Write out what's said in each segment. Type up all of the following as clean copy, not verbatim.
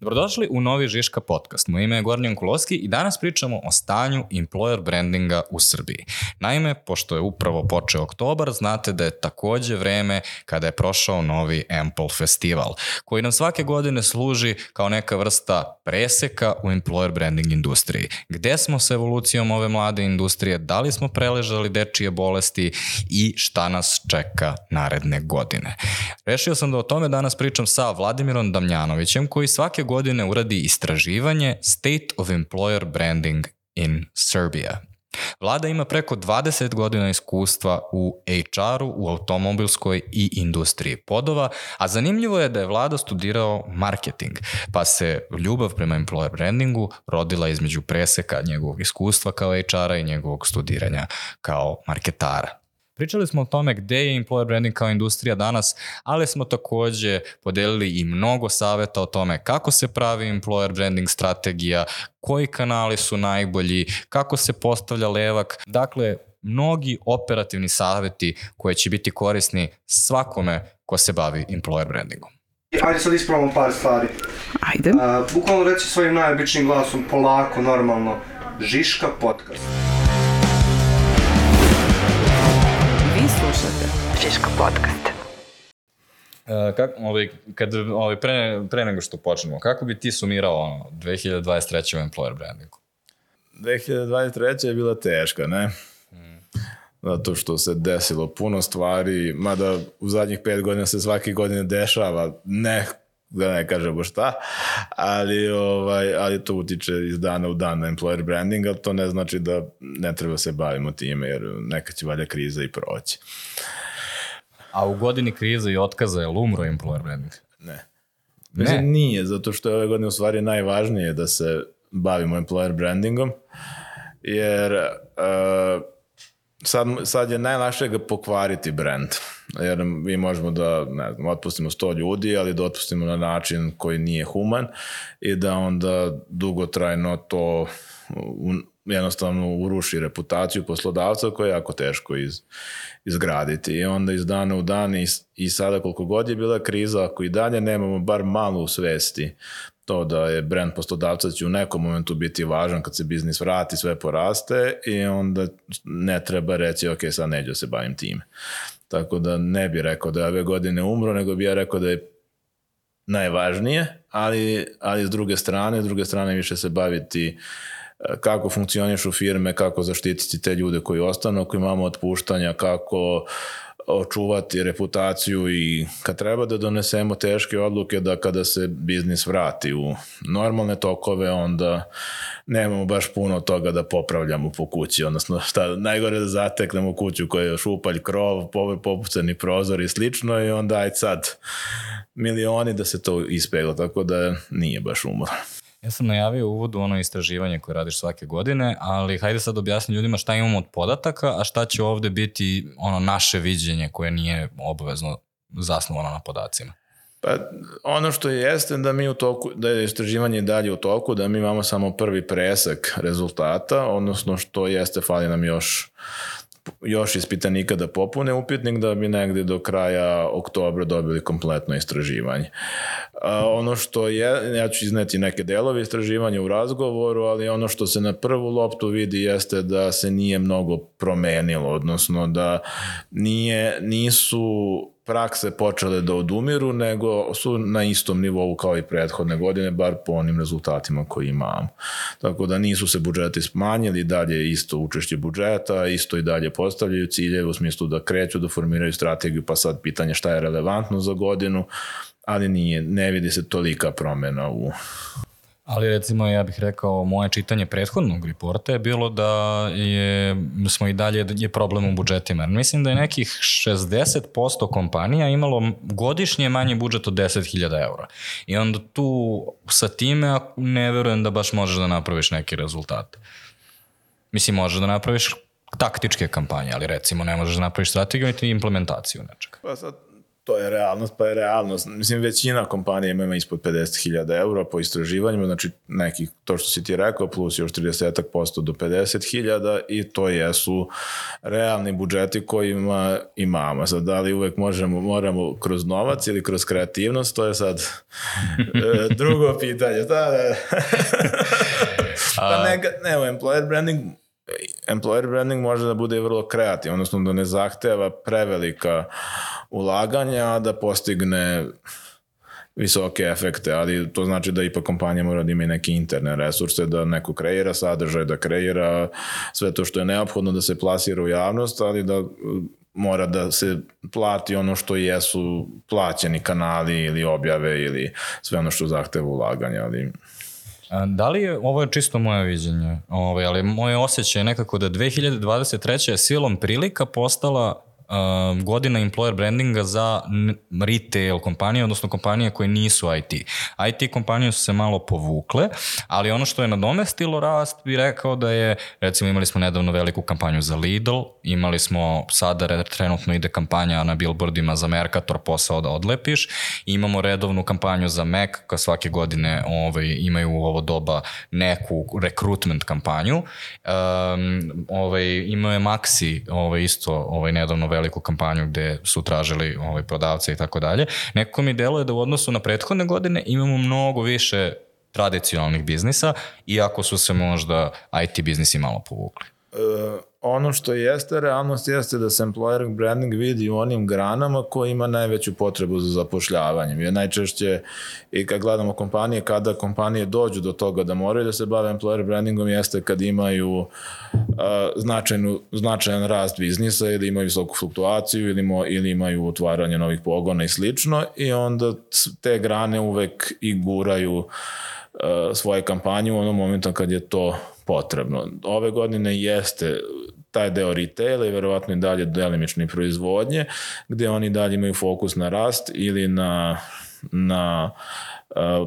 Dobrodošli u novi Žiška podcast. Moje ime je Gornjan Kulovski i danas pričamo o stanju employer brandinga u Srbiji. Naime, pošto je upravo počeo oktobar, znate da je takođe vreme kada je prošao novi Ample festival, koji nam svake godine služi kao neka vrsta preseka u employer branding industriji. Gde smo sa evolucijom ove mlade industrije, da li smo preležali dečije bolesti i šta nas čeka naredne godine. Rešio sam da o tome danas pričam sa Vladimirom Damjanovićem, koji svake godine uradi istraživanje State of Employer Branding in Serbia. Vlada ima preko 20 godina iskustva u HR-u, u automobilskoj i industriji podova, a zanimljivo je da je Vlada studirao marketing, pa se ljubav prema employer brandingu rodila između preseka njegovog iskustva kao HR-a i njegovog studiranja kao marketara. Pričali smo o tome gde je employer branding kao industrija danas, ali smo takođe podelili i mnogo saveta o tome kako se pravi employer branding strategija, koji kanali su najbolji, kako se postavlja levak. Dakle, mnogi operativni saveti koji će biti korisni svakome ko se bavi employer brandingom. Ajde sad ispravamo par stvari. Ajde. Bukvalno reći svojim najobičnijim glasom, polako, normalno, Žiška podcast. Slušate Žiško podcast. Pre nego što počnemo, kako bi ti sumirao 2023. u employer brandingu? 2023. je bila teška, ne? Zato što se desilo puno stvari, mada u zadnjih 5 godina se svake godine dešava, da ne kažemo šta, ali to utiče iz dana u dan na employer branding, ali to ne znači da ne treba se bavimo time, jer neka će valja kriza i proći. A u godini krize i otkaza je li umro employer branding? Ne. Mislim, nije, zato što je ove godine u stvari najvažnije da se bavimo employer brandingom, jer sad je najlakše ga pokvariti brand. Jer mi možemo da, ne znam, otpustimo 100 ljudi, ali da otpustimo na način koji nije human i da onda dugotrajno to jednostavno uruši reputaciju poslodavca koja je jako teško izgraditi. I onda iz dana u dan i sada koliko god je bila kriza, ako i dalje nemamo bar malo u svesti to da je brand poslodavca će u nekom momentu biti važan kad se biznis vrati, sve poraste i onda ne treba reći ok, sad neću se bavim time. Tako da ne bih rekao da je ove godine umro, nego bih ja rekao da je najvažnije, ali s druge strane više se baviti kako funkcionišu firme, kako zaštititi te ljude koji ostanu, ako imamo otpuštanja, kako očuvati reputaciju i kad treba da donesemo teške odluke da kada se biznis vrati u normalne tokove, onda nemamo baš puno toga da popravljamo po kući, odnosno najgore da zateknemo kuću koja je šupalj krov, popucani prozor i slično i onda aj sad milioni da se to ispegla, tako da nije baš umor. Ja sam najavio u uvodu ono istraživanje koje radiš svake godine, ali hajde sad objasni ljudima šta imamo od podataka, a šta će ovde biti ono naše viđenje koje nije obavezno zasnovano na podacima. Pa ono što jeste da mi u toku, da je istraživanje dalje u toku, da mi imamo samo prvi presek rezultata, odnosno što jeste, fali nam još ispitanika da popune upitnik da bi negdje do kraja oktobra dobili kompletno istraživanje. Ono što je, ja ću izneti neke delove istraživanja u razgovoru, ali ono što se na prvu loptu vidi jeste da se nije mnogo promenilo, odnosno da nisu prakse počele da odumiru, nego su na istom nivou kao i prethodne godine, bar po onim rezultatima koji imamo. Tako da nisu se budžeti smanjili, dalje je isto učešće budžeta, isto i dalje postavljaju ciljeve u smislu da kreću, da formiraju strategiju, pa sad pitanje šta je relevantno za godinu, ali ne vidi se tolika promena u... Ali recimo ja bih rekao moje čitanje prethodnog reporta je bilo da smo i dalje je problem u budžetima. Mislim da je nekih 60% kompanija imalo godišnje manji budžet od 10.000 eura. I onda tu sa time ne verujem da baš možeš da napraviš neki rezultat. Mislim, možeš da napraviš taktičke kampanje, ali recimo ne možeš da napraviš strategiju niti implementaciju nečega. Pa sad, To je realnost, pa je realnost. Mislim, većina kompanija ima ispod 50.000 eura po istraživanjima, znači neki, to što si ti rekao, plus još 30% do 50.000 i to jesu realni budžeti kojima imamo. Sad, da li uvek moramo kroz novac ili kroz kreativnost, to je sad drugo pitanje. Pa employer branding može da bude vrlo kreativan, odnosno da ne zahteva prevelika ulaganja, da postigne visoke efekte, ali to znači da ipak kompanija mora da ima i neke interne resurse, da neko kreira sadržaj, da kreira sve to što je neophodno da se plasira u javnost, ali da mora da se plati ono što jesu plaćeni kanali ili objave ili sve ono što zahteva ulaganja, ali... Da li je, ovo je čisto moje viđenje, ali moje osjećaj je nekako da 2023. je silom prilika postala godina employer brandinga za retail kompanije, odnosno kompanije koje nisu IT. IT kompanije su se malo povukle, ali ono što je nadomestilo rast bi rekao da je, recimo imali smo nedavno veliku kampanju za Lidl, imali smo sada trenutno ide kampanja na billboardima za Mercator, posao da odlepiš, imamo redovnu kampanju za Mac, koja svake godine imaju u ovo doba neku recruitment kampanju. Imao je Maxi isto nedavno veliku kampanju gde su tražili prodavce i tako dalje. Nekako mi deluje da u odnosu na prethodne godine imamo mnogo više tradicionalnih biznisa, iako su se možda IT biznisi malo povukli. Ono što jeste realnost jeste da se employer branding vidi u onim granama koji ima najveću potrebu za zapošljavanjem. Jer najčešće i kad gledamo kompanije, kada kompanije dođu do toga da moraju da se bave employer brandingom jeste kad imaju značajan rast biznisa ili imaju visoku fluktuaciju ili imaju otvaranje novih pogona i slično i onda te grane uvek i guraju svoje kampanje u onom momentu kad je to potrebno. Ove godine jeste taj deo retaila i verovatno i dalje delimične proizvodnje, gde oni dalje imaju fokus na rast ili na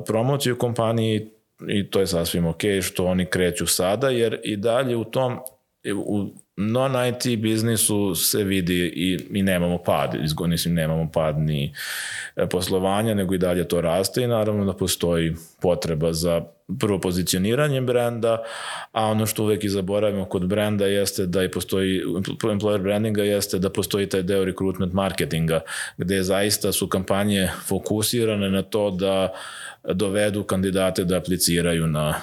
promociju kompaniji i to je sasvim ok što oni kreću sada, jer i dalje u non-IT biznisu se vidi i nemamo pad, nemamo pad ni poslovanja, nego i dalje to raste i naravno da postoji potreba za prvo pozicioniranje brenda, a ono što uvek i zaboravimo kod brenda jeste da i postoji, employer brandinga jeste da postoji taj deo recruitment marketinga, gde zaista su kampanje fokusirane na to da dovedu kandidate da apliciraju na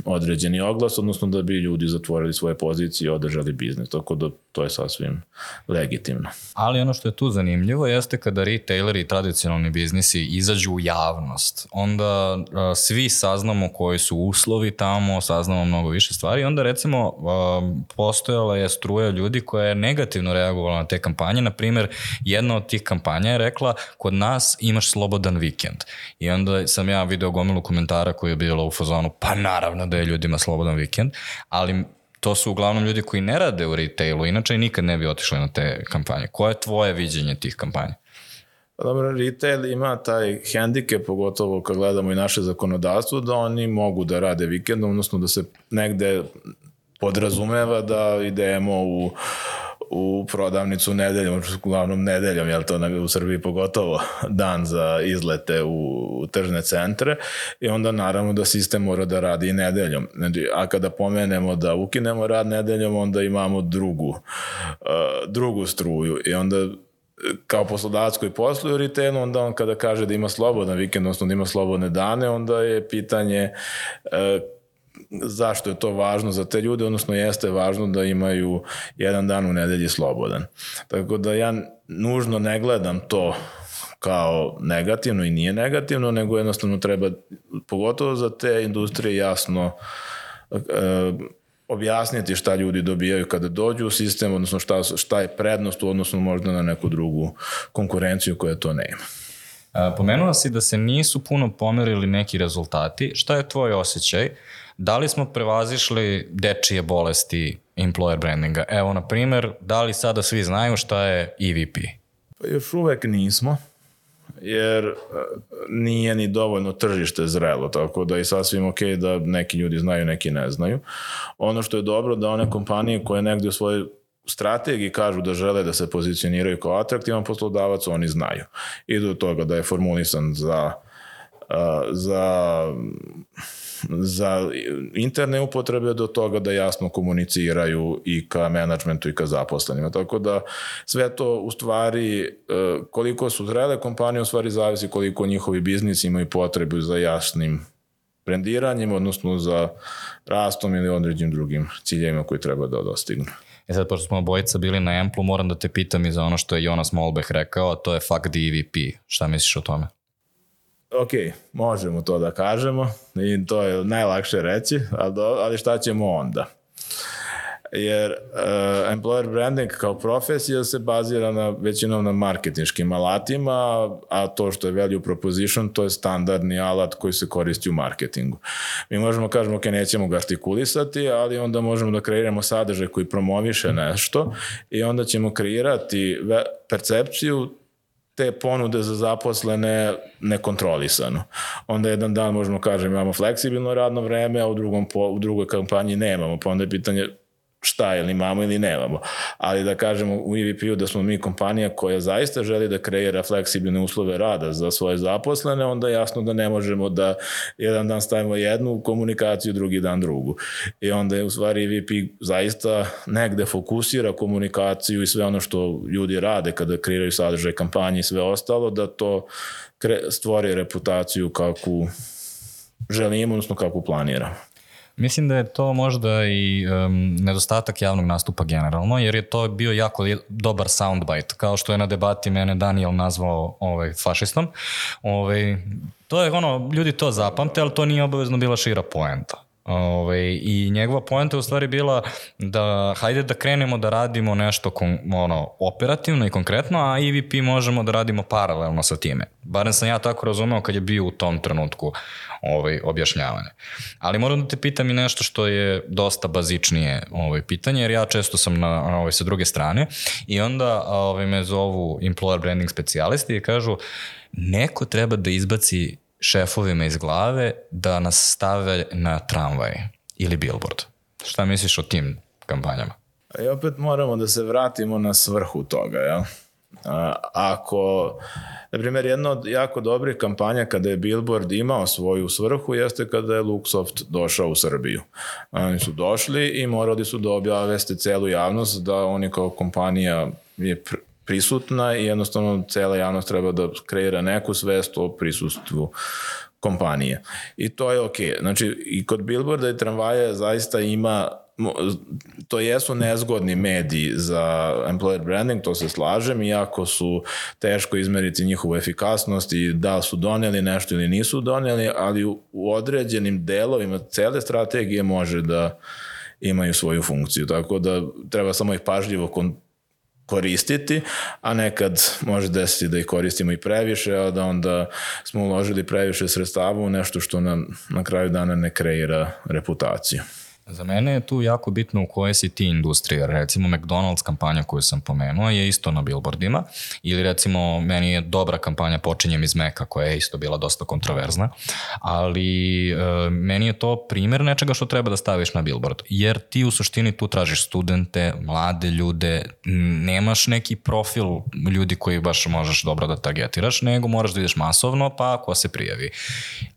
određeni oglas, odnosno da bi ljudi zatvorili svoje pozicije i održali biznis, tako da to je sasvim legitimno. Ali ono što je tu zanimljivo jeste kada retaileri i tradicionalni biznisi izađu u javnost, onda svi saznamo koji su uslovi tamo, saznamo mnogo više stvari i onda recimo postojala je struja ljudi koja je negativno reagovala na te kampanje, na primjer jedna od tih kampanja je rekla kod nas imaš slobodan vikend i onda sam ja video gomilu komentara koji je bilo u fazonu pa naravno da je ljudima slobodan vikend, ali to su uglavnom ljudi koji ne rade u retailu, inače nikad ne bi otišli na te kampanje. Koje je tvoje viđenje tih kampanja? Dobro, retail ima taj hendikep, pogotovo kad gledamo i naše zakonodavstvo, da oni mogu da rade vikendom, odnosno da se negde podrazumeva da idemo u prodavnicu nedeljom, uglavnom nedeljom, jel to u Srbiji pogotovo dan za izlete u tržne centre i onda naravno da sistem mora da radi i nedeljom. A kada pomenemo da ukinemo rad nedeljom, onda imamo drugu struju i onda kao poslodavac koji posluje u retailu, onda on kada kaže da ima slobodan vikend, odnosno da ima slobodne dane, onda je pitanje zašto je to važno za te ljude, odnosno jeste važno da imaju jedan dan u nedelji slobodan. Tako da ja nužno ne gledam to kao negativno i nije negativno, nego jednostavno treba, pogotovo za te industrije, jasno objasniti šta ljudi dobijaju kada dođu u sistem, odnosno šta je prednost u odnosu možda na neku drugu konkurenciju koja to nema. Pomenula si da se nisu puno pomerili neki rezultati. Šta je tvoj osjećaj? Da li smo prevazišli dečije bolesti employer brandinga? Evo, na primjer, da li sada svi znaju šta je EVP? Pa još uvek nismo, jer nije ni dovoljno tržište zrelo, tako da je sasvim ok da neki ljudi znaju, neki ne znaju. Ono što je dobro da one kompanije koje negdje u svojoj strategiji kažu da žele da se pozicioniraju kao atraktivan poslodavac, oni znaju. I do toga da je formulisan za interne upotrebe, do toga da jasno komuniciraju i ka menadžmentu i ka zaposlenima. Tako da sve to u stvari, koliko su zrele kompanije, u stvari zavisi koliko njihovi biznis imaju potrebu za jasnim brendiranjem, odnosno za rastom ili određenim drugim ciljevima koji treba da dostignu. Sad, pošto smo obojica bili na Amplu, moram da te pitam i za ono što je Jonas Molbech rekao, a to je fuck the EVP. Šta misliš o tome? Ok, možemo to da kažemo i to je najlakše reći, ali šta ćemo onda? Jer employer branding kao profesija se bazira većinom na marketinškim alatima, a to što je value proposition, to je standardni alat koji se koristi u marketingu. Mi možemo kažemo, ok, nećemo ga artikulisati, ali onda možemo da kreiramo sadržaj koji promoviše nešto i onda ćemo kreirati percepciju te ponude za zaposlene nekontrolisano. Onda jedan dan možemo kažem imamo fleksibilno radno vreme, a u drugoj kampanji nemamo, pa onda je pitanje šta, ili imamo ili nemamo. Ali da kažemo u EVP-u da smo mi kompanija koja zaista želi da kreira fleksibilne uslove rada za svoje zaposlene, onda je jasno da ne možemo da jedan dan stavimo jednu komunikaciju, drugi dan drugu. I onda je u stvari EVP zaista negde fokusira komunikaciju i sve ono što ljudi rade kada kreiraju sadržaj kampanje i sve ostalo, da to stvori reputaciju kakvu želimo, odnosno kakvu planiramo. Mislim da je to možda i nedostatak javnog nastupa generalno, jer je to bio jako dobar soundbite, kao što je na debati mene Daniel nazvao fašistom. To je ljudi to zapamte, ali to nije obavezno bila šira poenta. I njegova poenta je u stvari bila da hajde da krenemo da radimo nešto operativno i konkretno, a EVP možemo da radimo paralelno sa time. Barem sam ja tako razumeo kad je bio u tom trenutku objašnjavanje. Ali moram da te pitam i nešto što je dosta bazičnije pitanje, jer ja često sam sa druge strane i onda me zovu employer branding specijalisti i kažu neko treba da izbaci šefovima iz glave da nas stave na tramvaj ili billboard. Šta misliš o tim kampanjama? I opet moramo da se vratimo na svrhu toga, jel? Ako, na primjer, jedna od jako dobrih kampanja kada je billboard imao svoju svrhu jeste kada je Luxoft došao u Srbiju. Oni su došli i morali su da obaveste celu javnost da oni kao kompanija je prisutna i jednostavno cela javnost treba da kreira neku svest o prisustvu kompanije. I to je okej. Znači, i kod billboarda i tramvaja zaista ima, to jesu nezgodni mediji za employer branding, to se slažem, iako su teško izmeriti njihovu efikasnost i da su doneli nešto ili nisu doneli, ali u određenim delovima cele strategije može da imaju svoju funkciju. Tako da treba samo ih pažljivo koristiti, a nekad može desiti da ih koristimo i previše, a da onda smo uložili previše sredstava u nešto što nam na kraju dana ne kreira reputaciju. Za mene je tu jako bitno u kojoj si ti industrija. Recimo McDonald's kampanja koju sam pomenuo je isto na billboardima, ili recimo meni je dobra kampanja Počinjem iz Meka koja je isto bila dosta kontroverzna, ali meni je to primjer nečega što treba da staviš na billboard, jer ti u suštini tu tražiš studente, mlade ljude, nemaš neki profil ljudi koji baš možeš dobro da targetiraš, nego moraš da ideš masovno, pa ko se prijavi.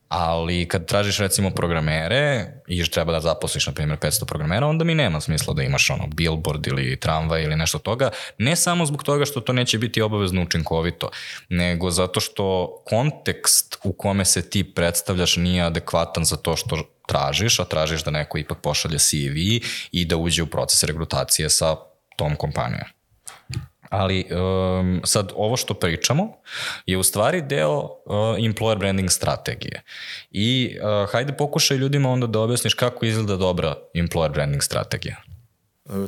Ali kad tražiš recimo programere i treba da zaposliš na primjer 500 programera, onda mi nema smisla da imaš billboard ili tramvaj ili nešto toga, ne samo zbog toga što to neće biti obavezno učinkovito, nego zato što kontekst u kome se ti predstavljaš nije adekvatan za to što tražiš, a tražiš da neko ipak pošalje CV i da uđe u proces rekrutacije sa tom kompanijom. Ali sad ovo što pričamo je u stvari deo employer branding strategije. I hajde pokušaj ljudima onda da objasniš kako izgleda dobra employer branding strategija.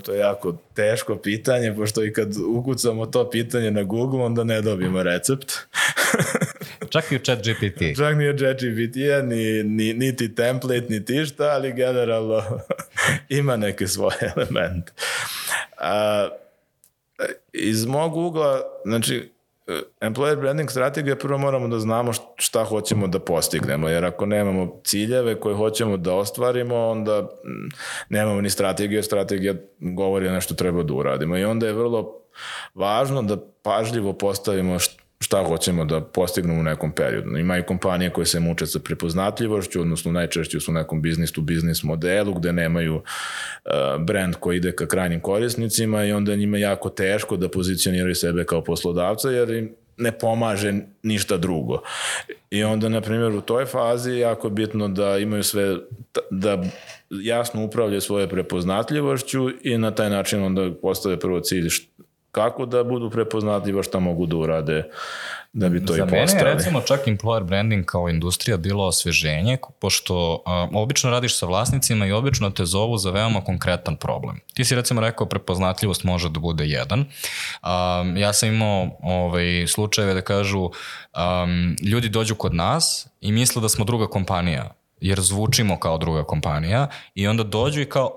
To je jako teško pitanje, pošto i kad ukucamo to pitanje na Google, onda ne dobijemo recept. Čak i u ChatGPT. Čak ni u ChatGPT-a, niti template, niti šta, ali generalno ima neke svoje elemente. Iz mog ugla, znači, employer branding strategija, prvo moramo da znamo šta hoćemo da postignemo, jer ako nemamo ciljeve koje hoćemo da ostvarimo, onda nemamo ni strategiju, strategija govori nešto treba da uradimo i onda je vrlo važno da pažljivo postavimo šta hoćemo da postignemo u nekom periodu. Ima i kompanije koje se muče sa prepoznatljivošću, odnosno najčešće su u nekom business-to-business modelu gde nemaju brand koji ide ka krajnim korisnicima i onda njima jako teško da pozicioniraju sebe kao poslodavca jer im ne pomaže ništa drugo. I onda, na primjer, u toj fazi je jako bitno da imaju sve, da jasno upravljaju svoje prepoznatljivošću i na taj način onda postave prvo cilj kako da budu prepoznatljivo, šta mogu da urade da bi to i postali. Za mene je recimo čak employer branding kao industrija bilo osveženje, pošto obično radiš sa vlasnicima i obično te zovu za veoma konkretan problem. Ti si recimo rekao prepoznatljivost može da bude jedan. Ja sam imao slučajeve da kažu ljudi dođu kod nas i misle da smo druga kompanija, jer zvučimo kao druga kompanija i onda dođu i kao,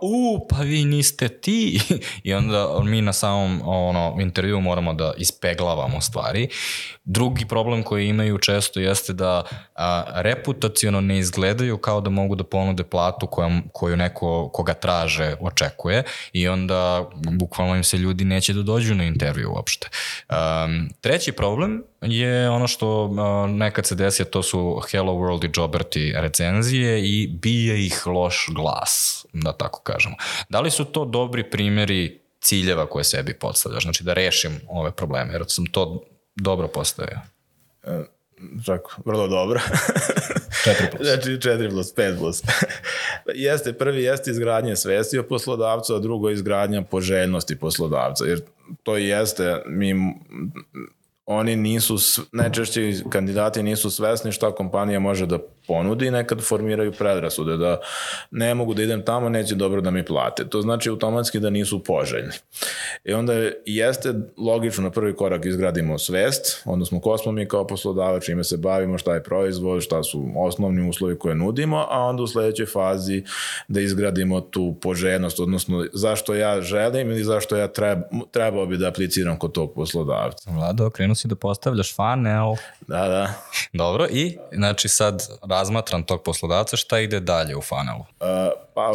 pa vi niste ti i onda mi na samom intervju moramo da ispeglavamo stvari. Drugi problem koji imaju često jeste da reputaciono ne izgledaju kao da mogu da ponude platu koju neko koga traže očekuje i onda bukvalno im se ljudi neće da dođu na intervju uopšte. Treći problem je ono što nekad se desi, to su Hello World i Jobberti recenzije i bije ih loš glas, da tako kažemo. Da li su to dobri primjeri ciljeva koje sebi postavljaš? Znači da rešim ove probleme, jer sam to dobro postavio. Čak, vrlo dobro. 4+. Znači 4+, 5+. Prvi jeste izgradnje svesti o poslodavcu, a drugo je izgradnja poželjnosti poslodavca. Jer to jeste, oni nisu, najčešće kandidati nisu svesni šta kompanija može da ponudi i nekad formiraju predrasude da ne mogu da idem tamo, neće dobro da mi plate. To znači automatski da nisu poželjni. I onda jeste logično na prvi korak izgradimo svest, odnosno ko smo mi kao poslodavac, čime se bavimo, šta je proizvod, šta su osnovni uslovi koje nudimo, a onda u sledećoj fazi da izgradimo tu poželjnost, odnosno zašto ja želim ili zašto ja trebao bi da apliciram kod tog poslodavca. Vlado, krenuo si da postavljaš funnel. Da. Dobro, i znači sad razmatram tog poslodavca, šta ide dalje u funnelu? Pa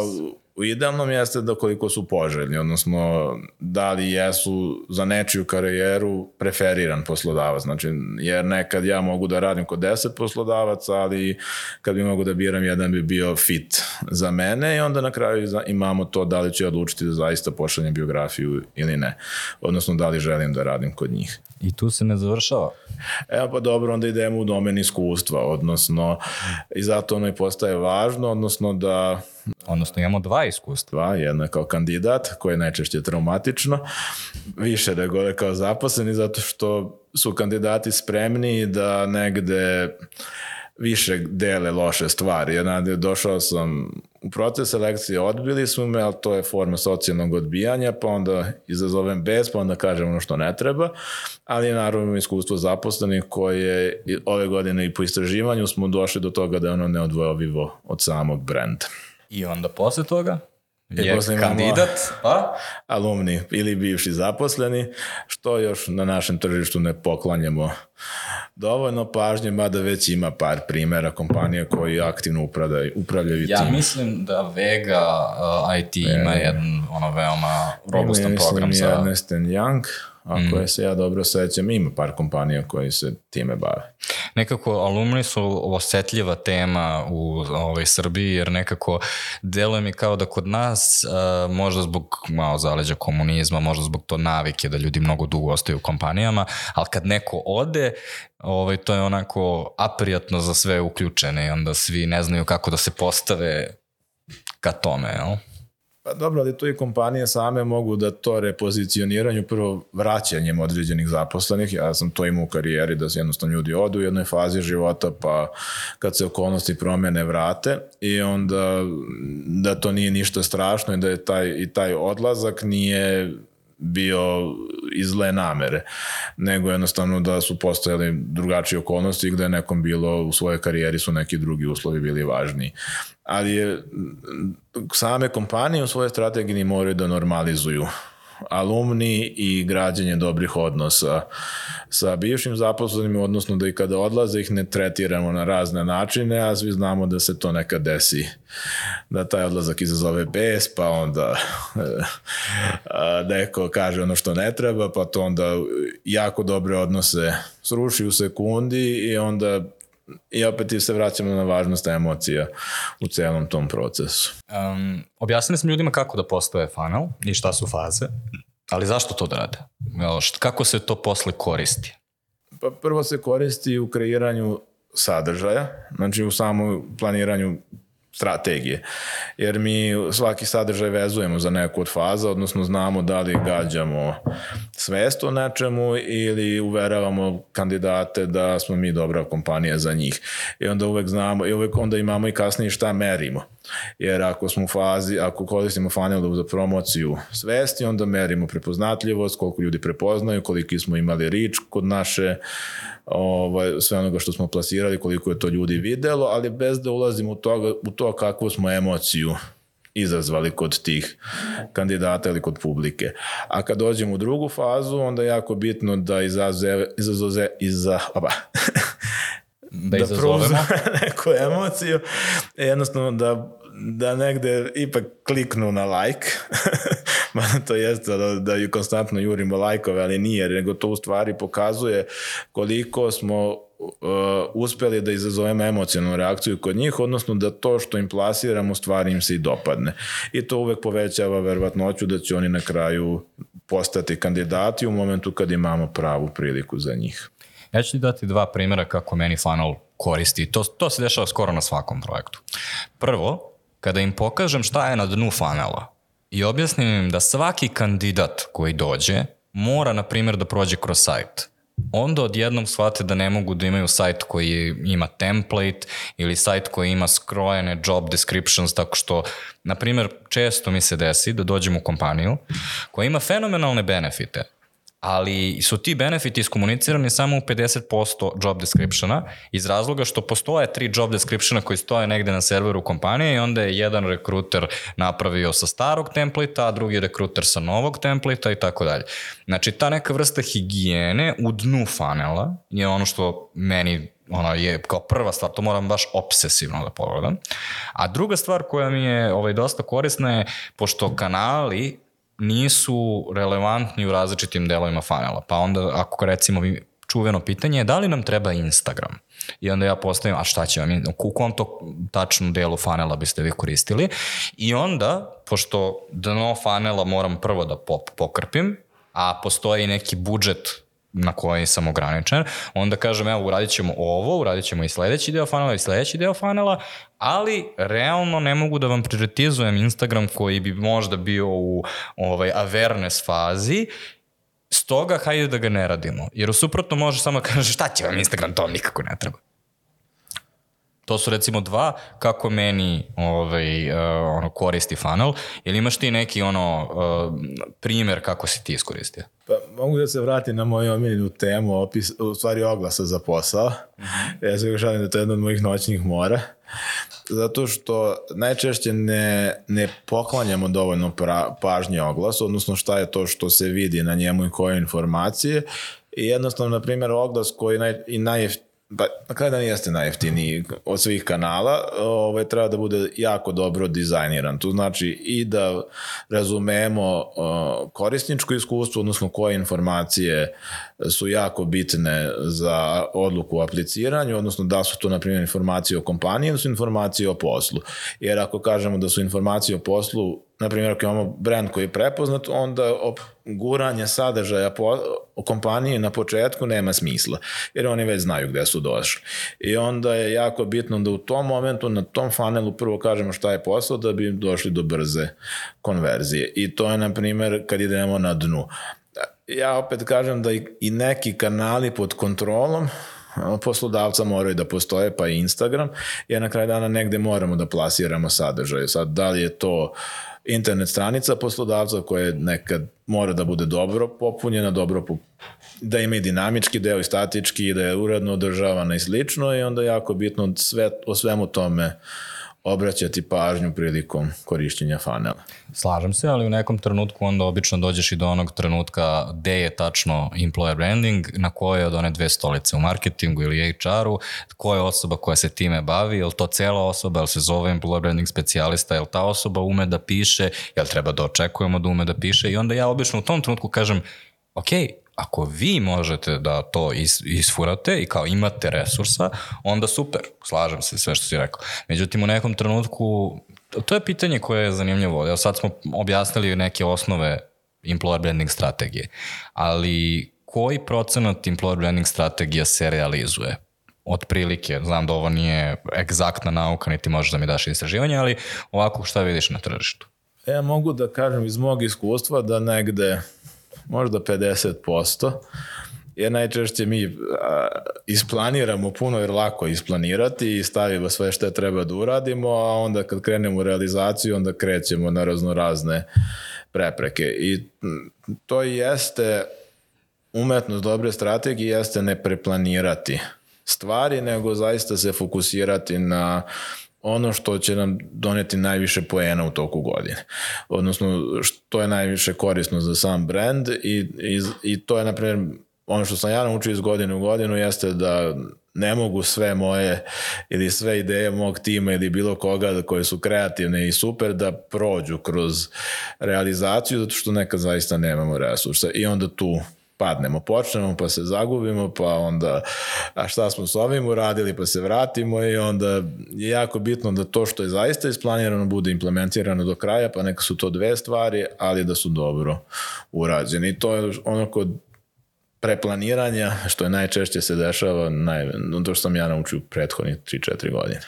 u idealnom jeste da koliko su poželjni, odnosno da li jesu za nečiju karijeru preferiran poslodavac. Znači, jer nekad ja mogu da radim kod 10 poslodavaca, ali kad bi mogu da biram, jedan bi bio fit za mene i onda na kraju imamo to da li ću odlučiti da zaista pošaljem biografiju ili ne. Odnosno, da li želim da radim kod njih. I tu se ne završava? Evo pa dobro, onda idemo u domen iskustva, odnosno i zato ono i postaje važno, odnosno imamo 2 iskustva. Jedno je kao kandidat, koje je najčešće traumatično, više nego je kao zaposleni, zato što su kandidati spremni da negde više dele loše stvari. Došao sam u proces selekcije, odbili su me, ali to je forma socijalnog odbijanja, pa onda izazovem bes, pa onda kažem ono što ne treba, ali naravno imamo iskustvo zaposlenih koje ove godine i po istraživanju smo došli do toga da je ono neodvojivo od samog brenda. I onda posle toga je kandidat, alumni ili bivši zaposleni, što još na našem tržištu ne poklanjamo dovoljno pažnje, mada već ima par primjera kompanija koji aktivno upravljaju tim. Ja mislim da Vega IT ima jedan veoma robustan program za... Mislim Ernst & Young, ako se ja dobro sećam, ima par kompanija koji se time bave. Nekako alumni su osetljiva tema u Srbiji, jer nekako deluje mi kao da kod nas, možda zbog malo zaleđa komunizma, možda zbog to navike da ljudi mnogo dugo ostaju u kompanijama, ali kad neko ode, to je onako aprijatno za sve uključene i onda svi ne znaju kako da se postave ka tome, jel? Pa dobro, ali tu i kompanije same mogu da to repozicioniraju prvo vraćanjem određenih zaposlenih. Ja sam to imao u karijeri da se jednostavno ljudi odu u jednoj fazi života, pa kad se okolnosti promene vrate i onda da to nije ništa strašno i da je taj odlazak nije bio iz zle namere, nego jednostavno da su postojali drugačije okolnosti gde je nekom bilo u svojoj karijeri su neki drugi uslovi bili važniji. Ali same kompanije u svojoj strategiji moraju da normalizuju alumni i građenje dobrih odnosa sa bivšim zaposlenim, odnosno da i kada odlaze ih ne tretiramo na razne načine, a svi znamo da se to nekad desi, da taj odlazak izazove bes, pa onda neko kaže ono što ne treba, pa to onda jako dobre odnose sruši u sekundi i onda i opet se vraćamo na važnost emocija u celom tom procesu. Objasnili smo ljudima kako da postoje funnel i šta su faze, ali zašto to da rade? Kako se to posle koristi? Pa prvo se koristi u kreiranju sadržaja, znači u samom planiranju strategije, jer mi svaki sadržaj vezujemo za neku od faza, odnosno znamo da li gađamo svest o nečemu ili uveravamo kandidate da smo mi dobra kompanija za njih. I onda uvek znamo, i uvek onda imamo i kasnije šta merimo. Jer ako smo u fazi, ako koristimo funnel za promociju svesti, onda merimo prepoznatljivost, koliko ljudi prepoznaju, koliki smo imali reach kod naše, sve onoga što smo plasirali, koliko je to ljudi videlo, ali bez da ulazimo u to kakvu smo emociju izazvali kod tih kandidata ili kod publike. A kad dođemo u drugu fazu, onda je jako bitno da da izazovemo neku emociju, jednostavno da negde ipak kliknu na like, to jeste da ju konstantno jurimo lajkove, ali nije, nego to u stvari pokazuje koliko smo uspeli da izazovemo emocionalnu reakciju kod njih, odnosno da to što im plasiramo u stvari im se i dopadne. I to uvek povećava verovatnoću da će oni na kraju postati kandidati u momentu kad imamo pravu priliku za njih. Ja ću ti dati 2 primjera kako meni funnel koristi. To se dešava skoro na svakom projektu. Prvo, kada im pokažem šta je na dnu funnela i objasnim im da svaki kandidat koji dođe mora, na primjer, da prođe kroz sajt, onda odjednom shvate da ne mogu da imaju sajt koji ima template ili sajt koji ima skrojene job descriptions, tako što, na primjer, često mi se desi da dođem u kompaniju koja ima fenomenalne benefite, ali su ti benefiti iskomunicirani samo u 50% job descriptiona iz razloga što postoje 3 job descriptiona koji stoje negde na serveru kompanije i onda je jedan rekruter napravio sa starog templata, a drugi rekruter sa novog templata i tako dalje. Znači, ta neka vrsta higijene u dnu funnela je ono što meni je kao prva stvar, to moram baš obsesivno da pogledam. A druga stvar koja mi je dosta korisna je, pošto kanali nisu relevantni u različitim delovima funnela. Pa onda, ako recimo čuveno pitanje je da li nam treba Instagram? I onda ja postavim, a šta će vam, u kom to tačnu delu funnela biste vi koristili? I onda, pošto dno funnela moram prvo da pokrpim, a postoji neki budžet na koji sam ograničen, onda kažem, evo, uradit ćemo ovo, uradit ćemo i sledeći deo funnela i sledeći deo funnela, ali realno ne mogu da vam prioritizujem Instagram koji bi možda bio u awareness fazi, stoga hajde da ga ne radimo. Jer u suprotno može samo da kaže šta će vam Instagram, to nikako ne treba. To su recimo 2 kako meni koristi funnel. Ili imaš ti neki primjer kako si ti iskoristio? Pa mogu da se vratim na moju omiljenu temu, u stvari oglasa za posao. Ja se šalim da to je jedna od mojih noćnih mora. Zato što najčešće ne poklanjamo dovoljno pažnje oglasu, odnosno šta je to što se vidi na njemu i koje informacije. I jednostavno, na primjer, oglas koji na kraju dan jeste najjeftiniji od svih kanala, treba da bude jako dobro dizajniran. To znači i da razumemo korisničko iskustvo, odnosno koje informacije su jako bitne za odluku o apliciranju, odnosno da su to, na primjer, informacije o kompaniji ili su informacije o poslu. Jer ako kažemo da su informacije o poslu, na primjer, ako imamo brand koji je prepoznat, onda guranje sadržaja o kompaniji na početku nema smisla, jer oni već znaju gde su došli. I onda je jako bitno da u tom momentu, na tom funnelu prvo kažemo šta je posao da bi došli do brze konverzije. I to je, na primjer, kad idemo na dnu. Ja opet kažem da i neki kanali pod kontrolom poslodavca moraju da postoje, pa i Instagram, jer na kraju dana negde moramo da plasiramo sadržaj. Sad, da li je to internet stranica poslodavca koja nekad mora da bude dobro popunjena, da ima i dinamički deo i statički, da je uredno održavana i slično, i onda je jako bitno o svemu tome obraćati pažnju prilikom korišćenja funnela. Slažem se, ali u nekom trenutku onda obično dođeš i do onog trenutka gde je tačno employer branding, na koje od one dve stolice u marketingu ili HR-u, koja je osoba koja se time bavi, je li to cela osoba, je li se zove employer branding specijalista, je li ta osoba ume da piše, je li treba da očekujemo da ume da piše i onda ja obično u tom trenutku kažem, ok, ako vi možete da to isfurate i kao imate resursa, onda super, slažem se sve što si rekao. Međutim, u nekom trenutku, to je pitanje koje je zanimljivo. Evo sad smo objasnili neke osnove employer branding strategije, ali koji procenat employer branding strategija se realizuje? Otprilike, znam da ovo nije egzaktna nauka, niti možeš da mi daš istraživanje, ali ovako šta vidiš na tržištu? Ja mogu da kažem iz mog iskustva da negde možda 50%, jer najčešće mi isplaniramo puno jer lako isplanirati i stavimo sve što treba da uradimo, a onda kad krenemo u realizaciju, onda krećemo na raznorazne prepreke. I to jeste umetnost dobre strategije, jeste ne preplanirati stvari, nego zaista se fokusirati na ono što će nam doneti najviše poena u toku godine. Odnosno, što je najviše korisno za sam brand i to je, na primjer, ono što sam ja naučio iz godine u godinu jeste da ne mogu sve moje ili sve ideje mog tima ili bilo koga koje su kreativne i super da prođu kroz realizaciju, zato što nekad zaista nemamo resursa i onda tu padnemo, počnemo pa se zagubimo, pa onda a šta smo s ovim uradili pa se vratimo i onda je jako bitno da to što je zaista isplanirano bude implementirano do kraja, pa neka su to dve stvari, ali da su dobro urađene. I to je ono kod preplaniranja što je najčešće se dešava, to što sam ja naučio prethodnih 3-4 godine.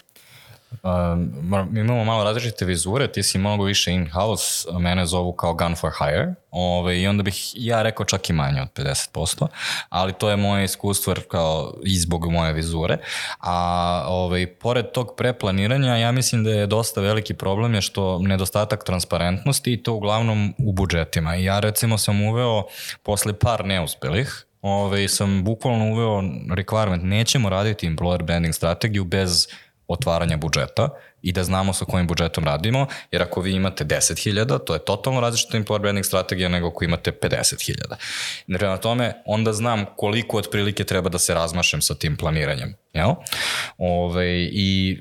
Mi imamo malo različite vizure, ti si mnogo više in-house, mene zovu kao gun for hire i onda bih ja rekao čak i manje od 50%, ali to je moje iskustvo kao i zbog moje vizure, a pored tog preplaniranja ja mislim da je dosta veliki problem je što nedostatak transparentnosti i to uglavnom u budžetima i ja recimo sam uveo posle par neuspelih sam bukvalno uveo requirement, nećemo raditi employer branding strategiju bez otvaranja budžeta i da znamo sa kojim budžetom radimo, jer ako vi imate 10.000, to je totalno različita employer branding strategija nego ako imate 50.000. Prema tome, onda znam koliko otprilike treba da se razmašem sa tim planiranjem. Jel? I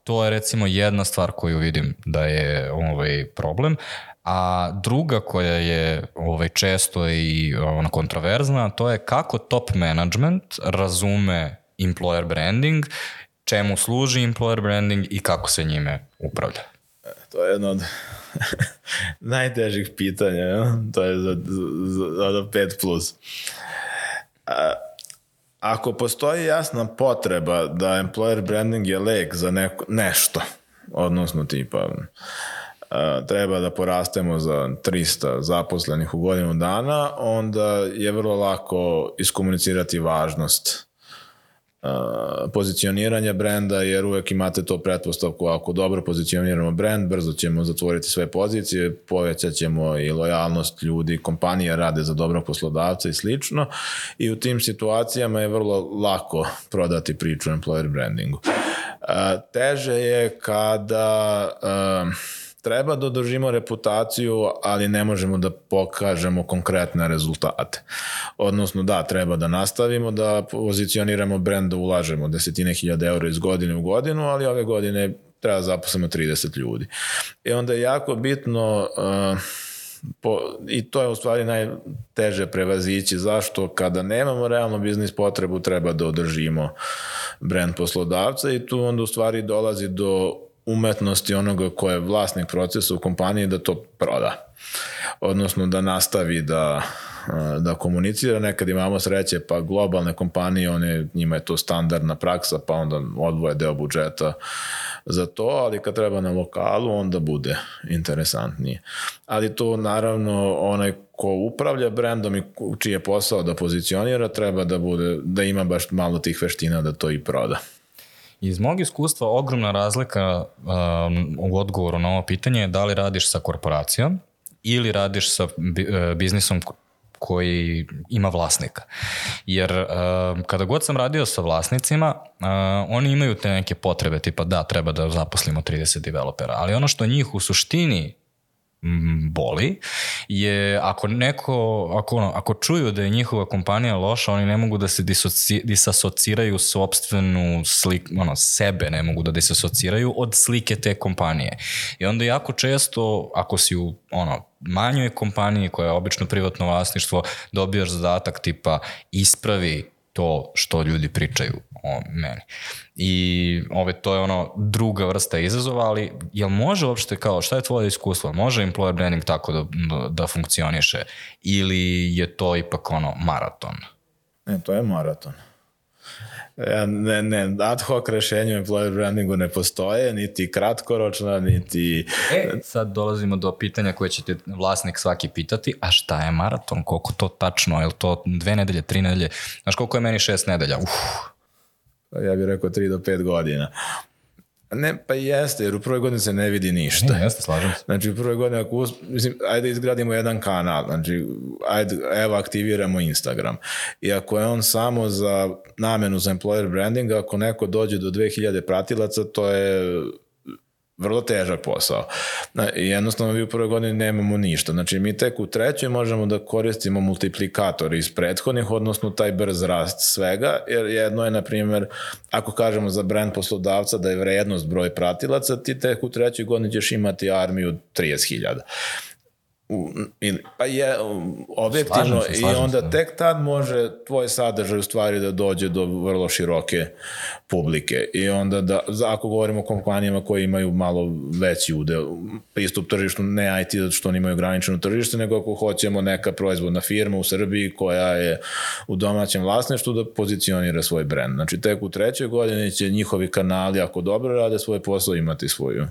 to je recimo jedna stvar koju vidim da je problem, a druga koja je često i kontroverzna, to je kako top management razume employer branding, čemu služi employer branding i kako se njime upravlja? To je jedno od najtežih pitanja, to je za 5+. Ako postoji jasna potreba da employer branding je lek za nešto, odnosno tipa treba da porastemo za 300 zaposlenih u godinu dana, onda je vrlo lako iskomunicirati važnost pozicioniranja brenda, jer uvek imate to pretpostavku, ako dobro pozicioniramo brend, brzo ćemo zatvoriti sve pozicije, povećat ćemo i lojalnost ljudi, kompanije rade za dobrog poslodavca i slično, i u tim situacijama je vrlo lako prodati priču o employer brandingu. Teže je kada treba da održimo reputaciju, ali ne možemo da pokažemo konkretne rezultate. Odnosno, da, treba da nastavimo da pozicioniramo brend, da ulažemo 10.000 eura iz godine u godinu, ali ove godine treba da zaposlimo 30 ljudi. I onda je jako bitno, i to je u stvari najteže prevazići, zašto kada nemamo realno biznis potrebu treba da održimo brend poslodavca, i tu onda u stvari dolazi do umetnosti onoga ko je vlasnik procesa u kompaniji da to proda. Odnosno da nastavi da komunicira. Nekad imamo sreće, pa globalne kompanije, njima je to standardna praksa, pa onda odvoje deo budžeta za to, ali kad treba na lokalu, onda bude interesantnije. Ali to naravno onaj ko upravlja brendom i čiji je posao da pozicionira, treba da ima baš malo tih veština da to i proda. Iz mog iskustva ogromna razlika u odgovoru na ovo pitanje je da li radiš sa korporacijom ili radiš sa biznisom koji ima vlasnika. Jer kada god sam radio sa vlasnicima, oni imaju te neke potrebe, tipa da, treba da zaposlimo 30 developera, ali ono što njih u suštini boli je ako čuju da je njihova kompanija loša, oni ne mogu da se disasociraju sopstvenu sliku, sebe ne mogu da disasociraju od slike te kompanije. I onda jako često, ako si u manjoj kompaniji koja je obično privatno vlasništvo, dobijaš zadatak tipa ispravi to što ljudi pričaju o meni. I to je druga vrsta izazova, ali jel može uopšte šta je tvoje iskustvo? Može employer branding tako da funkcioniše? Ili je to ipak maraton? Ne, to je maraton. Ne, ad hoc rešenje u employer brandingu ne postoje, niti kratkoročna, niti... Sad dolazimo do pitanja koje će te vlasnik svaki pitati, a šta je maraton? Koliko to tačno? Je li to 2 nedelje, 3 nedelje? Znaš koliko je meni 6 nedelja? Ja bih rekao 3 do 5 godina. Ne, pa jeste, jer u prvoj godini se ne vidi ništa. Ne, jeste, slažem se. Znači, u prvoj godini, ajde izgradimo jedan kanal, znači, evo aktiviramo Instagram. I ako je on samo za namenu za employer branding, ako neko dođe do 2000 pratilaca, to je vrlo težak posao. I jednostavno mi u prvoj godini nemamo ništa. Znači mi tek u trećoj možemo da koristimo multiplikator iz prethodnih, odnosno taj brz rast svega, jer jedno je, na primjer, ako kažemo za brand poslodavca da je vrednost broj pratilaca, ti tek u trećoj godini ćeš imati armiju 30.000. Pa je objektivno i onda tek tad može tvoj sadržaj u stvari da dođe do vrlo široke publike i onda ako govorimo o kompanijama koje imaju malo veći udel pristup tržištu, ne IT zato što oni imaju ograničeno tržište, nego ako hoćemo neka proizvodna firma u Srbiji koja je u domaćem vlasništvu da pozicionira svoj brand. Znači tek u trećoj godini će njihovi kanali, ako dobro rade svoj posao, imati svoju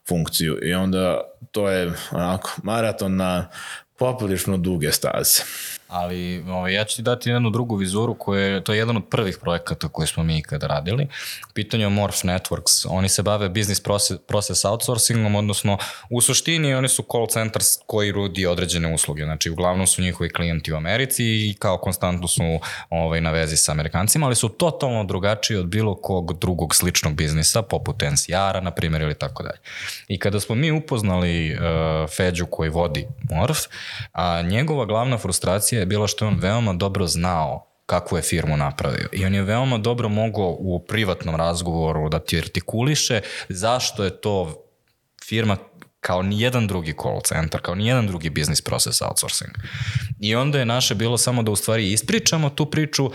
funkciju i onda to je onako maraton na poprilično duge staze. Ali ja ću ti dati jednu drugu vizuru, to je jedan od prvih projekata koje smo mi ikada radili. Pitanje je Morph Networks. Oni se bave business process outsourcingom, odnosno u suštini oni su call centers koji rudi određene usluge. Znači uglavnom su njihovi klijenti u Americi i kao konstantno su na vezi sa Amerikancima, ali su totalno drugačiji od bilo kog drugog sličnog biznisa, poput NCR-a, na primjer, ili tako dalje. I kada smo mi upoznali Feđu koji vodi Morph, njegova glavna frustracija je bilo što je on veoma dobro znao kakvu je firmu napravio i on je veoma dobro mogao u privatnom razgovoru da ti artikuliše zašto je to firma kao nijedan drugi call center, kao nijedan drugi business process outsourcing. I onda je naše bilo samo da u stvari ispričamo tu priču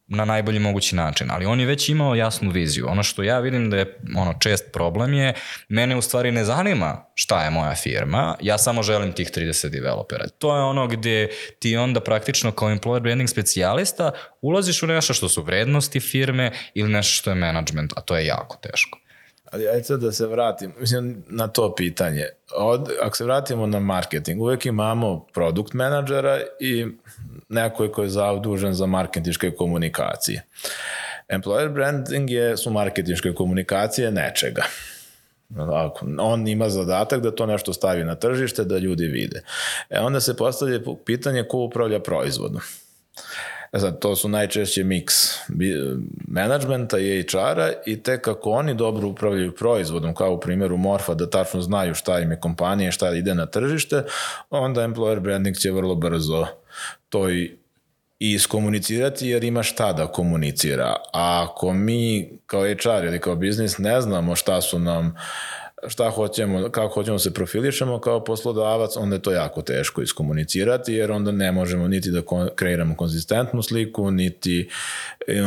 na najbolji mogući način, ali on je već imao jasnu viziju. Ono što ja vidim da je čest problem je, mene u stvari ne zanima šta je moja firma, ja samo želim tih 30 developera. To je ono gdje ti onda praktično kao employer branding specijalista ulaziš u nešto što su vrednosti firme ili nešto što je management, a to je jako teško. Ali ajde sad da se vratim na to pitanje. Ako se vratimo na marketing, uvijek imamo produkt menadžera i neko ko je zadužen za marketinške komunikacije. Employer branding su marketinške komunikacije nečega. On ima zadatak da to nešto stavi na tržište, da ljudi vide. Onda se postavlja pitanje ko upravlja proizvodom. Sad, to su najčešće miks menadžmenta i HR-a i tek kako oni dobro upravljaju proizvodom, kao u primjeru Morfa, da tačno znaju šta im je kompanija, šta ide na tržište, onda employer branding će vrlo brzo to i iskomunicirati jer ima šta da komunicira. A ako mi kao HR ili kao biznis ne znamo šta su nam, šta hoćemo, kako hoćemo se profilišemo kao poslodavac, onda je to jako teško iskomunicirati jer onda ne možemo niti da kreiramo konzistentnu sliku, niti